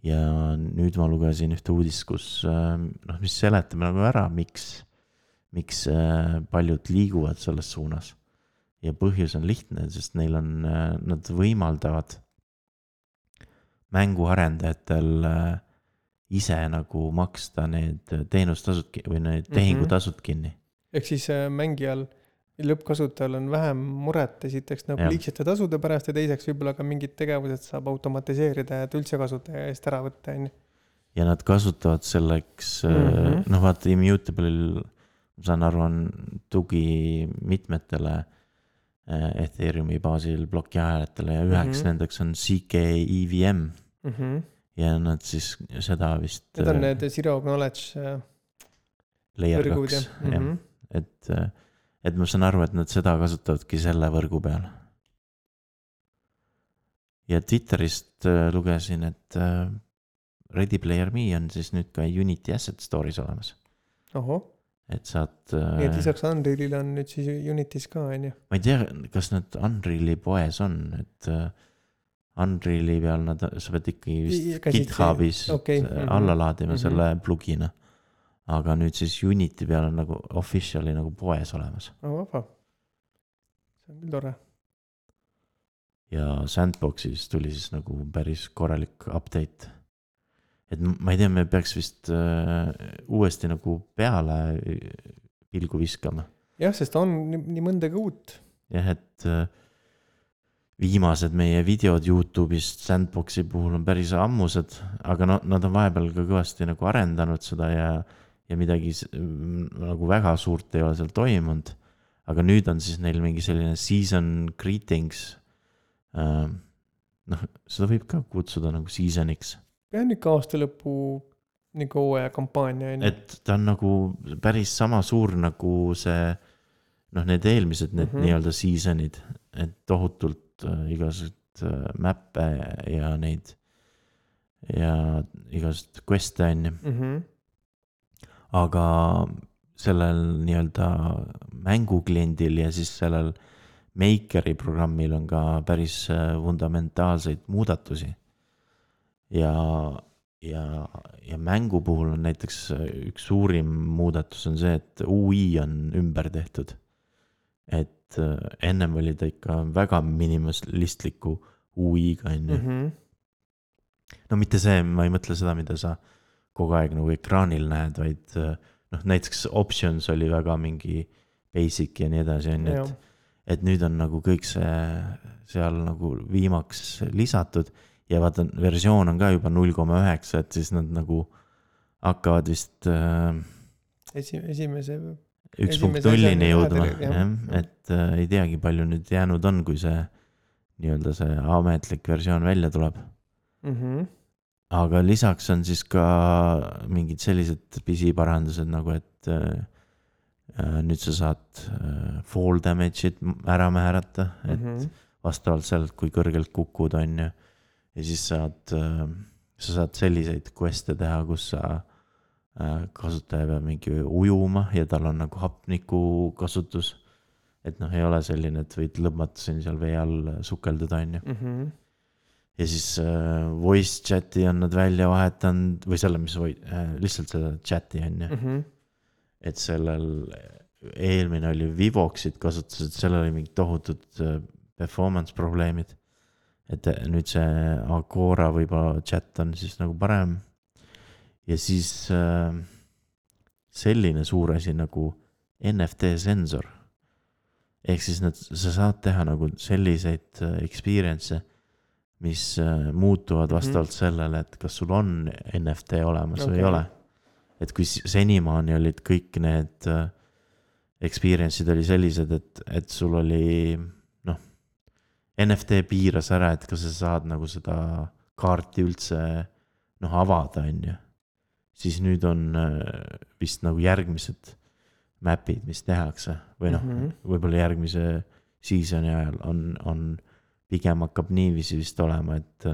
Ja nüüd ma lugesin ühte uudist, kus noh, mis seletame nagu ära, miks, miks paljud liiguvad selles suunas. Ja põhjus on lihtne, sest neil on, nad võimaldavad mänguarendajatel ise nagu maksta need teenustasud või need tehingutasud kinni. Ehk siis mängijal lõppkasutajal on vähem muret esiteks nagu liigsete tasude pärast ja teiseks võib-olla ka mingid tegevused saab automatiseerida, et üldse kasutaja eest ära võtta. Ja nad kasutavad selleks, mm-hmm. noh vaata Immutable'il, ma saan aru, on tugi mitmetele Ethereumi baasil blokiajaletele ja üheks mm-hmm. nendeks on C K E V M mm-hmm. ja nad siis seda vist... Need on need Zero Knowledge layer kaks, mm-hmm. et et ma saan aru, et nad seda kasutavadki selle võrgu peal. Ja Twitterist lugesin, et Ready Player Me on siis nüüd ka Unity Asset Store'is olemas. Oho. et saad nii et lisaks Unrealile on nüüd siis Unitis ka, on ju? ma ei tea, kas nad Unreali poes on, et Unreali peal nad, sa pead ikkagi vist GitHubis okay. mm-hmm. alla laadima mm-hmm. selle plugina, aga nüüd siis Unity peal on nagu officially nagu poes olemas. Oh, vaba. See on küll tore. Ja Sandboxis tuli siis nagu päris korralik update. Et ma ei tea, me peaks vist uh, uuesti nagu peale pilgu viskama. Jah, sest on nii mõndagi uut. Jah, et uh, viimased meie videod YouTube'ist Sandboxi puhul on päris ammused, aga no, nad on vahepeal ka kõvasti nagu arendanud seda ja, ja midagi nagu väga suurt ei ole seal toimunud. Aga nüüd on siis neil mingi selline season greetings. Uh, noh, seda võib ka kutsuda nagu seasoniks. Ja nüüd ka aasta lõpu nagu hooaja kampaania. Et ta on nagu päris sama suur nagu see, noh, need eelmised need mm-hmm. nii-öelda seasonid, et tohutult uh, igasugused uh, mäppe ja neid ja igasugused queste on. Mm-hmm. Aga sellel nii-öelda mängukliendil ja siis sellel Makeri programmil on ka päris fundamentaalseid muudatusi. Ja, ja, ja mängu puhul on näiteks üks suurim muudatus on see, et U I on ümber tehtud. Et ennem oli ta ikka väga minimalistliku U I-ga. Mm-hmm. No mitte see, ma ei mõtle seda, mida sa kogu aeg nagu ekraanil näed, vaid noh, näiteks options oli väga mingi basic ja nii edasi. Et, et nüüd on nagu kõik see seal nagu viimaks lisatud ja vaata, versioon on ka juba null koma üheksa, et siis nad nagu hakkavad vist äh, Esi, esimese üks punkt nullini jõudma, jah, et äh, ei teagi palju nüüd jäänud on, kui see nii-öelda see ametlik versioon välja tuleb. Mhm. Aga lisaks on siis ka mingid sellised pisiparandused nagu, et äh, nüüd sa saad äh, fall damage'id ära määrata, et mm-hmm. vastavalt sellelt, kui kõrgelt kukud on ja, ja siis saad, äh, sa saad selliseid queste teha, kus sa äh, kasutaja peab mingi ujuma ja tal on nagu hapniku kasutus, et noh, ei ole selline, et võid lõbmata siin seal vee all sukeldada on ju. Mm-hmm. Ja siis äh, voice chati on nad välja vahetanud või selle, mis või, äh, lihtsalt seda chati on ju. Mm-hmm. Et sellel eelmine oli Vivoxit kasutus, et sellel oli mingi tohutud äh, performance probleemid. Et nüüd see Agora võib-olla chat on siis nagu parem. Ja siis äh, selline suur asi nagu N F T sensor. Ehk siis nad, sa saad teha nagu selliseid äh, experience, mis äh, muutuvad vastavalt mm-hmm. sellele, et kas sul on N F T olemas okay. või ei ole. Et kui senimaani olid kõik need äh, experience'id oli sellised, et, et sul oli noh, N F T piiras ära, et kas sa saad nagu seda kaarti üldse noh, avada on ju. Siis nüüd on äh, vist nagu järgmised mapid, mis tehakse või noh, mm-hmm. võib-olla järgmise seasoni ajal on, on pigem hakkab niiviisi vist olema, et,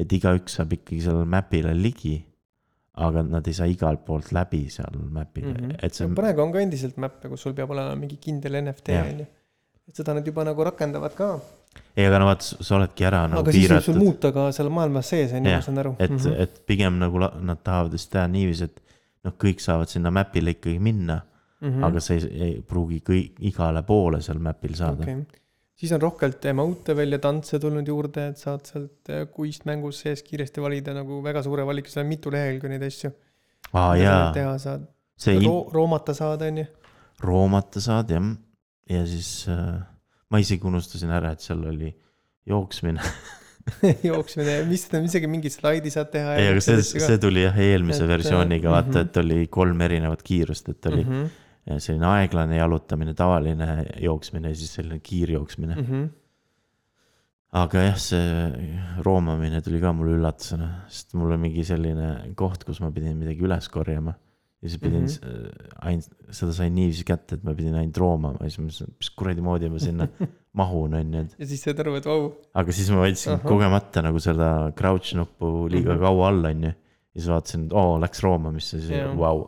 et igaüks saab ikkagi sellel mapile ligi, aga nad ei saa igalt poolt läbi seal mapile. Mm-hmm. Et see... praegu on ka endiselt mappe, kus sul peab olema mingi kindel N F T. Et seda nad juba nagu rakendavad ka. Ei, aga no vaat, sa oledki ära nagu aga piiratud. Aga siis sul muuta ka seal maailmas sees, on ju, ma saan aru. Et, mm-hmm. et pigem nagu nad tahavad vist teha niivis, et noh, kõik saavad sinna mapile ikkagi minna, mm-hmm. aga see ei, ei pruugi kõik, igale poole seal mapil saada. Okay. Siis on rohkelt emote välja tantse tulnud juurde, et saad sealt kuist mängus sees kiiresti valida nagu väga suure valiku, seal on mitu lehel kui neid asju. Aa, jaa. Teha saad. See Ro- roomata saad, on ju? Roomata saad, jah. Ja siis äh, ma isegi unustasin ära, et seal oli jooksmine. jooksmine, mis seda isegi mingi slaidi saad teha. Ei, aga see, see tuli jah eelmise et, versiooniga, vaata, mm-hmm. et oli kolm erinevat kiirust, et oli mm-hmm. selline aeglane jalutamine, tavaline jooksmine ja siis selline kiirjooksmine. Mm-hmm. Aga jah, see roomamine tuli ka mulle üllatusena, sest mul on mingi selline koht, kus ma pidin midagi üles korjama. Ja siis pidin, mm-hmm. ainult, seda sain niiviisi kätte, et ma pidin ainult roomama. Ja siis ma mõtlesin, mis kuradi moodi ma sinna mahun on. Ja siis said aru, et vau. Aga siis ma võtsin uh-huh. kogemata nagu seda crouch nuppu liiga mm-hmm. kaua all on. Ja siis vaatasin, et oo, läks roomamisse, siis yeah. vau.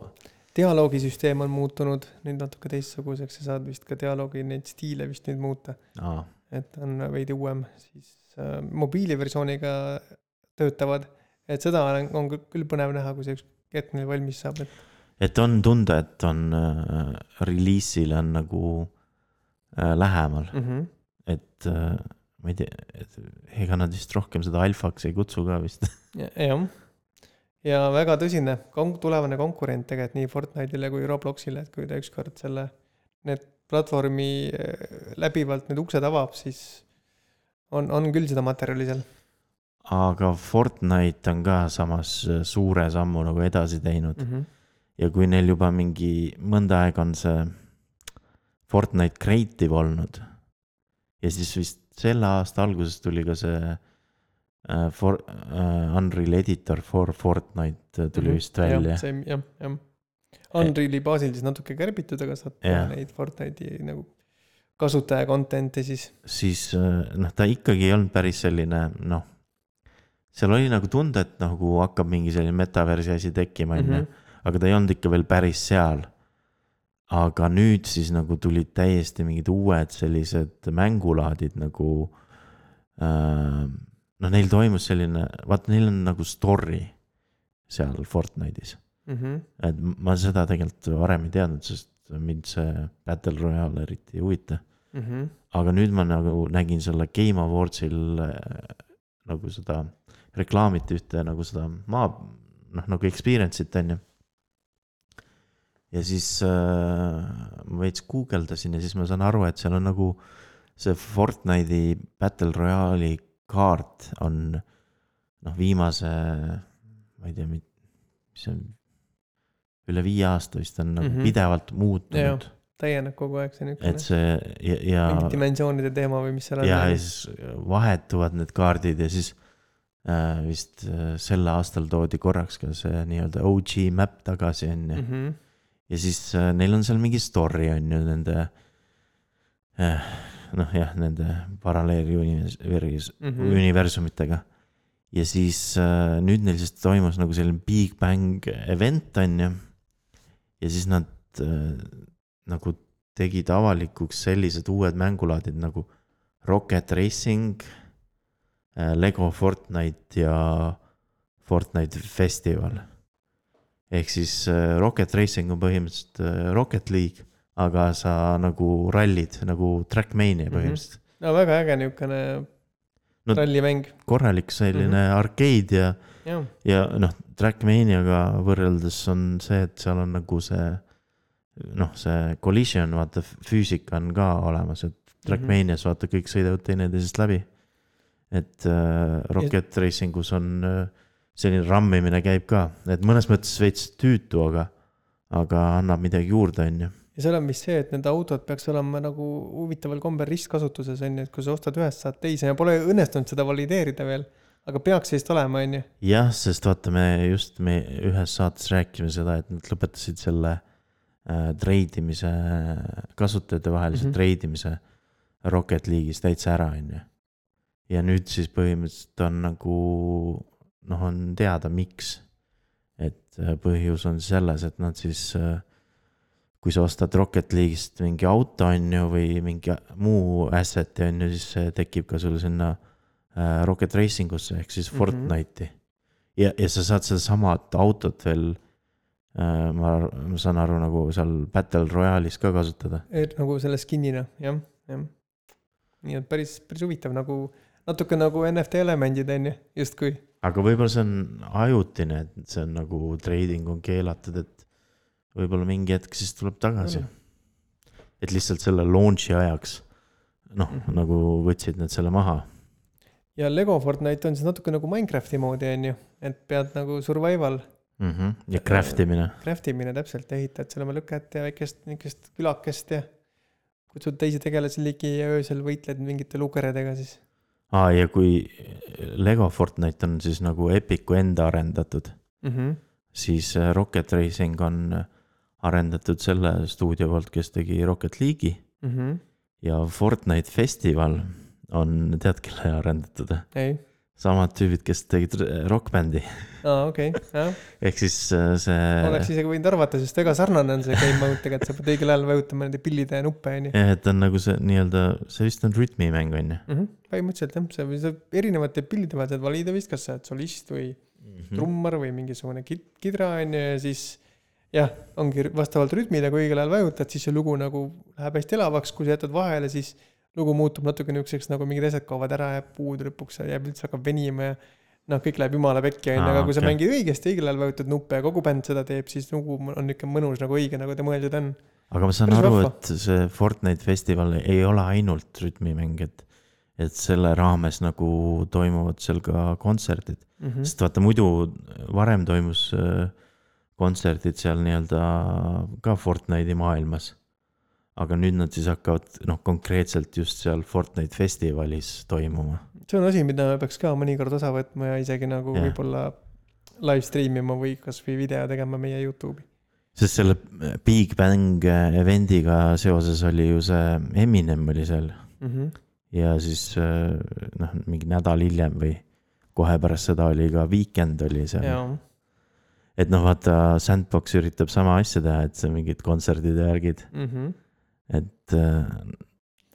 dialoogisüsteem on muutunud nüüd natuke teistsuguseks ja saad vist ka dialoogi neid stiile vist nüüd muuta. Aa. Et on veidi uuem, siis äh, mobiiliversiooniga töötavad, et seda on, on küll põnev näha, kui see üks hetk neil valmis saab. Et, et on tunda, et on äh, reliisile on nagu äh, lähemal, mm-hmm. et äh, ma ei tea, et ega nad vist rohkem seda alfaks ei kutsu ka vist. Ja, jah. Ja väga tõsine kon- tulevane konkurent tegelikult nii Fortnite'ile kui Robloxile, et kui ta ükskord selle need platvormi läbivalt need uksed avab, siis on, on küll seda materjali seal. Aga Fortnite on ka samas suure sammu nagu edasi teinud. Mm-hmm. Ja kui neil juba mingi mõnda aeg on see Fortnite Creative olnud ja siis vist selle aasta alguses tuli ka see uh, for, uh, Unreal Editor for Fortnite tuli mm-hmm. vist välja. Ja, see, jah, jah. Unreali baasil siis natuke kärbitud, aga saad teha neid Fortnite'i nagu kasutaja content'i siis. Siis noh, ta ikkagi ei olnud päris selline, noh, seal oli nagu tunda, et nagu hakkab mingi selline metaversi asi tekkima, mm-hmm. aga ta ei olnud ikka veel päris seal. Aga nüüd siis nagu tulid täiesti mingid uued sellised mängulaadid nagu äh, no neil toimus selline, vaata neil on nagu story seal Fortnite'is. Mm-hmm. Et ma seda tegelikult varem ei teadnud, sest mind see Battle Royale eriti ei huvita. Mm-hmm. Aga nüüd ma nagu nägin selle Game Awardsil äh, nagu seda reklaamit ühte nagu seda maa, noh nagu experience'it on ju. Ja siis äh, ma veits guugeldasin ja siis ma saan aru, et seal on nagu see Fortnite'i Battle Royale'i kaart on noh viimase, ma ei tea, mis on üle viie aasta vist on nagu mm-hmm. pidevalt muutunud. Ja, täieneb kogu aeg see niisugune. Et see ja, ja mingi dimensioonide teema või mis seal on. Ja, ja siis vahetuvad need kaardid ja siis äh, vist äh, selle aastal toodi korraks ka see nii-öelda O G map tagasi on ja mm-hmm. ja siis äh, neil on seal mingi story on ju nende äh, noh jah, nende paralleeli mm-hmm. universumitega. Ja siis äh, nüüd neil siis toimus nagu selline Big Bang event on ju. Ja siis nad äh, nagu tegid avalikuks sellised uued mängulaadid nagu Rocket Racing, äh, Lego Fortnite ja Fortnite Festival. Ehk siis äh, Rocket Racing on põhimõtteliselt äh, Rocket League, aga sa nagu rallid, nagu Trackmania põhimõtteliselt. Mm-hmm. No väga äge niisugune no, rallimäng. Korralik selline mm-hmm. arcade ja, ja. ja noh, Trackmaniaga võrreldes on see, et seal on nagu see, noh, see collision, vaata füüsika on ka olemas, et Trackmanias vaata kõik sõidavad teineteisest läbi. Et äh, Rocket ja. Racingus on äh, selline rammimine käib ka, et mõnes mõttes veits tüütu, aga, aga annab midagi juurde, on ju. Ja seal on vist see, et need autod peaks olema nagu huvitaval kombel ristkasutuses, on ju, et kui sa ostad ühest saad teise ja pole õnnestunud seda valideerida veel, aga peaks vist olema, on ju. Jah, sest vaata, me just me ühes saates rääkime seda, et nad lõpetasid selle äh, treidimise, kasutajate vahelise mm-hmm. treidimise Rocket League'is täitsa ära, on ju. Ja nüüd siis põhimõtteliselt on nagu noh, on teada miks, et põhjus on selles, et nad siis, kui sa ostad Rocket League'ist mingi auto on ju või mingi muu asset on ju, siis tekib ka sul sinna Rocket Racing usse ehk siis mm-hmm. Fortnite'i. Ja, ja sa saad seda samad autot veel, ma, ma saan aru nagu seal Battle Royale'is ka kasutada. Et nagu selle skinina, jah, jah. Nii et päris, päris huvitav, nagu natuke nagu N F T elemendid on ju, just kui. Aga võib-olla see on ajutine, et see on nagu trading on keelatud, et võib-olla mingi hetk siis tuleb tagasi. Mm. Et lihtsalt selle launchi ajaks, noh, mm-hmm. nagu võtsid need selle maha. Ja Lego Fortnite on siis natuke nagu Minecrafti moodi on ju, et pead nagu survival. Mm-hmm. Ja craftimine. Craftimine täpselt, ehitad selle oma lükket ja väikest, väikest külakest ja kutsud teisi tegelasi ligi ja öösel võitled mingite lukeredega siis. Aa, ja kui Lego Fortnite on siis nagu Epicu enda arendatud, mm-hmm. siis Rocket Racing on arendatud selle stuudio poolt, kes tegi Rocket League'i mm-hmm. ja Fortnite Festival on, tead, kelle arendatud? Ei. samad tüübid, kes tegid rockbändi. aa, okei okay,, jah. Ehk siis see... Oleks isegi võinud arvata, sest ega sarnane on see game mode tegelikult, sa pead õigel ajal vajutama nende pillide ja nuppe, on ju. jah, et on nagu see nii-öelda, see vist on rütmimäng, on ju. Mm-hmm. Põhimõtteliselt jah, see, see erinevate pillide peal saad valida vist, kas sa oled solist või mm-hmm. trummar või mingisugune kidra, on ju, ja siis jah, ongi vastavalt rütmile, kui õigel ajal vajutad, siis see lugu nagu läheb hästi elavaks, kui sa jätad vahele, siis lugu muutub natuke niisuguseks, nagu mingid asjad kaovad ära ja puud lõpuks jääb üldse hakkab venima ja noh, kõik läheb jumala pekki, aga okay. Kui sa mängid õigesti, õigel ajal vajutad nuppe ja kogu bänd seda teeb, siis lugu on niisugune mõnus nagu õige, nagu ta mõeldud on. Aga ma saan Päris aru, vahva. Et see Fortnite festival ei ole ainult rütmimäng, et, et selle raames nagu toimuvad seal ka kontserdid. Mm-hmm. Sest vaata, muidu varem toimus kontserdid seal nii-öelda ka Fortnite'i maailmas. Aga nüüd nad siis hakkavad noh, konkreetselt just seal Fortnite festivalis toimuma. See on asi, mida me peaks ka mõnikord osa võtma ja isegi nagu ja. Võib-olla live streamima või kas või video tegema meie YouTube'i. Sest selle Big Bang evendiga seoses oli ju see Eminem oli seal. Mm-hmm. Ja siis noh, mingi nädal hiljem või kohe pärast seda oli ka Weekend oli seal. Ja. Et noh, vaata Sandbox üritab sama asja teha, et see mingid kontserdid ja järgid. Mm-hmm. Et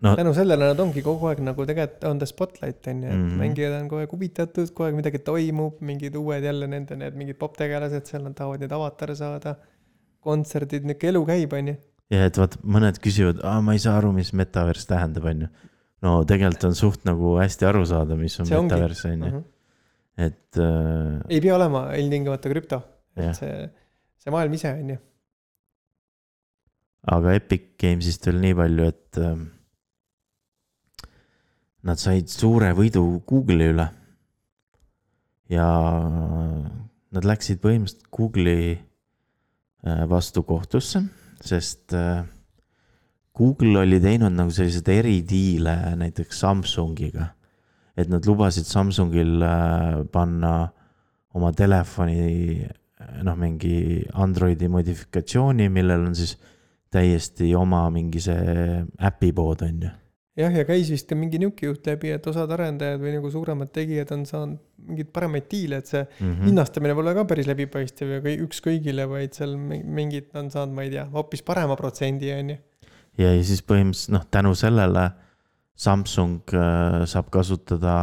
no tänu sellele nad ongi kogu aeg nagu tegelikult on ta spotlight on ju, et mm-hmm. mängijad on kogu aeg huvitatud, kogu aeg midagi toimub, mingid uued jälle nende need mingid poptegelased, seal nad tahavad need avatare saada, kontserdid, niisugune elu käib on ju. Ja et vaat mõned küsivad, aa ma ei saa aru, mis metaverse tähendab on ju. No tegelikult on suht nagu hästi aru saada, mis on see metaverse on ju. Uh-huh. Et äh... ei pea olema ilmtingimata krüpto, et see, see maailm ise on ju. Aga Epic Gamesist veel nii palju, et äh, nad said suure võidu Google'i üle ja nad läksid põhimõtteliselt Google'i äh, vastu kohtusse, sest äh, Google oli teinud nagu sellised eridiile näiteks Samsungiga, et nad lubasid Samsungil äh, panna oma telefoni noh, mingi Androidi modifikatsiooni, millel on siis täiesti oma mingi see äpipood on ju. Jah, ja käis vist ka mingi niuki juht läbi, et osad arendajad või nagu suuremad tegijad on saanud mingid paremaid diile, et see mm-hmm. hinnastamine pole ka päris läbipaistev ja üks kõigile, vaid seal mingid on saanud, ma ei tea, hoopis parema protsendi on ju. Ja, ja siis põhimõtteliselt noh, tänu sellele Samsung äh, saab kasutada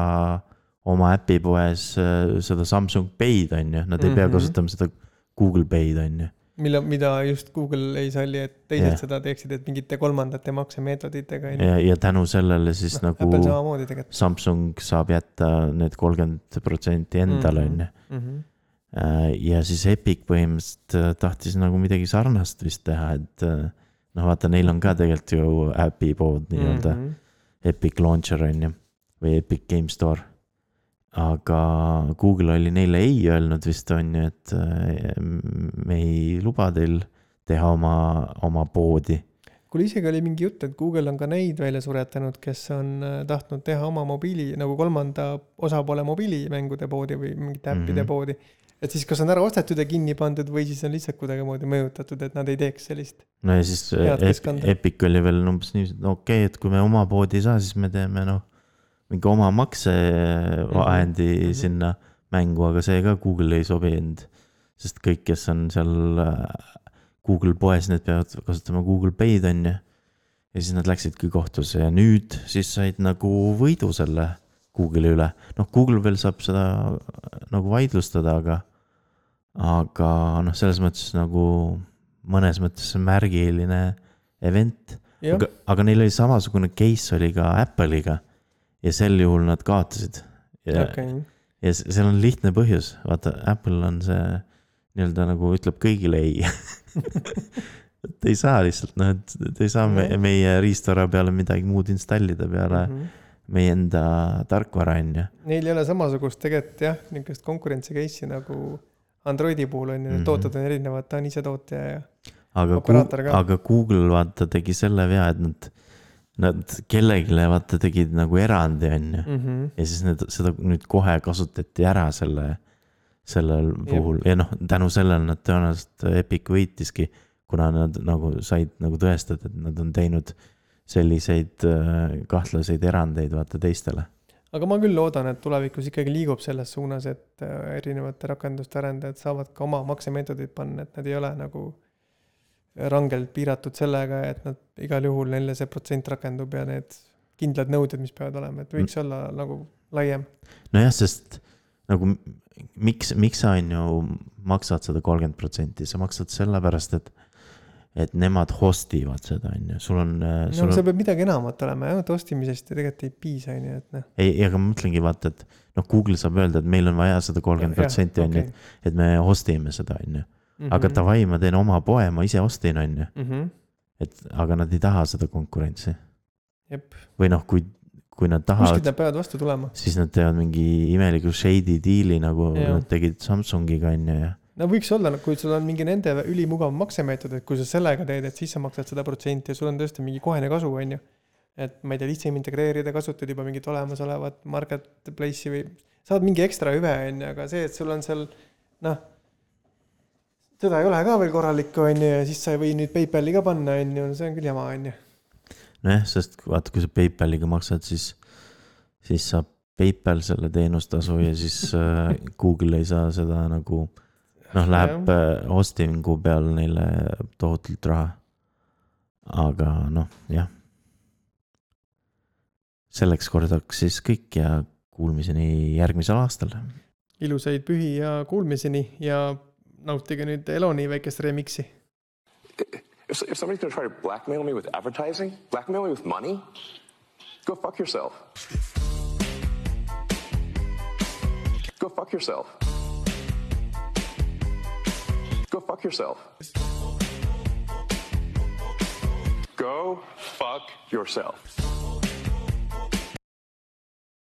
oma äpipoes äh, seda Samsung Pay'd on ju, nad ei mm-hmm. pea kasutama seda Google Pay'd on ju. Mille, mida just Google ei salli, et teised yeah. seda teeksid, et mingite kolmandate maksemeetoditega. Ja, ja tänu sellele siis no, nagu Samsung saab jätta need kolmkümmend protsenti endale mm-hmm. on mm-hmm. ja siis Epic põhimõtteliselt tahtis nagu midagi sarnast vist teha, et noh vaata, neil on ka tegelikult ju äpi pood nii-öelda mm-hmm. Epic Launcher on ju või Epic Game Store. Aga Google oli neile ei öelnud vist on ju, et me ei luba teil teha oma, oma poodi. Kuule isegi oli mingi jutt, et Google on ka neid välja suretanud, kes on tahtnud teha oma mobiili, nagu kolmanda osapoole mobiilimängude poodi või mingite äppide mm-hmm. poodi. Et siis kas on ära ostetud ja kinni pandud või siis on lihtsalt kuidagi moodi mõjutatud, et nad ei teeks sellist. No ja siis Ep- Epic oli veel umbes nii, no okei, okay, et kui me oma poodi ei saa, siis me teeme noh, mingi oma maksevahendi mm-hmm. sinna mängu, aga see ka Google ei sobinud, sest kõik, kes on seal Google poes, need peavad kasutama Google Pay'd on ja, ja siis nad läksidki kohtusse ja nüüd siis said nagu võidu selle Google'i üle. Noh, Google veel saab seda nagu vaidlustada, aga aga noh, selles mõttes nagu mõnes mõttes märgiline event, aga, aga neil oli samasugune case oli ka Apple'iga ja sel juhul nad kaotasid. Ja, okay. ja seal on lihtne põhjus. Vaata, Apple on see nii-öelda nagu ütleb kõigile ei. et ei saa lihtsalt, noh, et ei saa me, meie riistvara peale midagi muud installida peale mm-hmm. meie enda tarkvara on ja. Neil ei ole samasugust tegelikult jah, niisugust konkurentsi case'i nagu Androidi puhul on ja mm-hmm. tooted on erinevad, ta on ise tootja ja aga operaator ka. Aga Google vaata tegi selle vea, et nad Nad kellegile vaata tegid nagu erandi on ju mm-hmm. ja siis need, seda nüüd kohe kasutati ära selle, sellel puhul Jep. ja noh, tänu sellele nad tõenäoliselt Epic võitiski, kuna nad nagu said nagu tõestada, et nad on teinud selliseid kahtlaseid erandeid vaata teistele. aga ma küll loodan, et tulevikus ikkagi liigub selles suunas, et erinevate rakenduste arendajad saavad ka oma maksemeetodid panna, et nad ei ole nagu rangelt piiratud sellega, et nad igal juhul neile see protsent rakendub ja need kindlad nõuded, mis peavad olema, et võiks mm. olla nagu laiem. No jah, sest nagu miks, miks sa on ju maksad seda kolmkümmend protsenti, sa maksad selle pärast, et et nemad hostivad seda, on ju, sul on... Sul no, on... see peab midagi enamat olema, jah, et hostimisest ja tegelikult ei piisa, on ju, et noh. Ei, aga ma mõtlengi vaata, et noh, Google saab öelda, et meil on vaja seda kolmkümmend protsenti, on ju, okay. et me hostime seda, on ju. Mm-hmm. Aga davai, ma teen oma poe, ma ise hostin, on ju. Mm-hmm. Et, aga nad ei taha seda konkurentsi. Jep. Või noh, kui, kui nad tahavad... Kuskid nad peavad vastu tulema. Siis nad teevad mingi imeliku shady deali, nagu ja. Nad tegid Samsungiga, on ju, ja... No võiks olla, kui sul on mingi nende ülimugav maksemeetod, et kui sa sellega teed, et siis sa maksad seda protsenti ja sul on tõesti mingi kohene kasu, on ju. Et ma ei tea, lihtsam integreerida, kasutad juba mingit olemasolevat marketplace'i või saad mingi ekstra hüve, on ju, aga see, et sul on seal, noh, seda ei ole ka veel korralik, on ju, ja siis sa ei või nüüd PayPali ka panna, on ju, see on küll jama, on ju. Nojah, sest vaata, kui sa PayPaliga maksad, siis, siis saab PayPal selle teenustasu ja siis äh, Google ei saa seda nagu... Noh, läheb hostingu peal neile tohutult raha. Aga noh, jah. Selleks kordaks siis kõik ja kuulmiseni järgmisel aastal. Ilusaid pühi ja kuulmiseni ja nautige nüüd Eloni väikest remixi. If, if somebody's going to try to blackmail me with advertising, blackmail me with money, go fuck yourself. Go fuck yourself. Go fuck yourself. Go fuck yourself.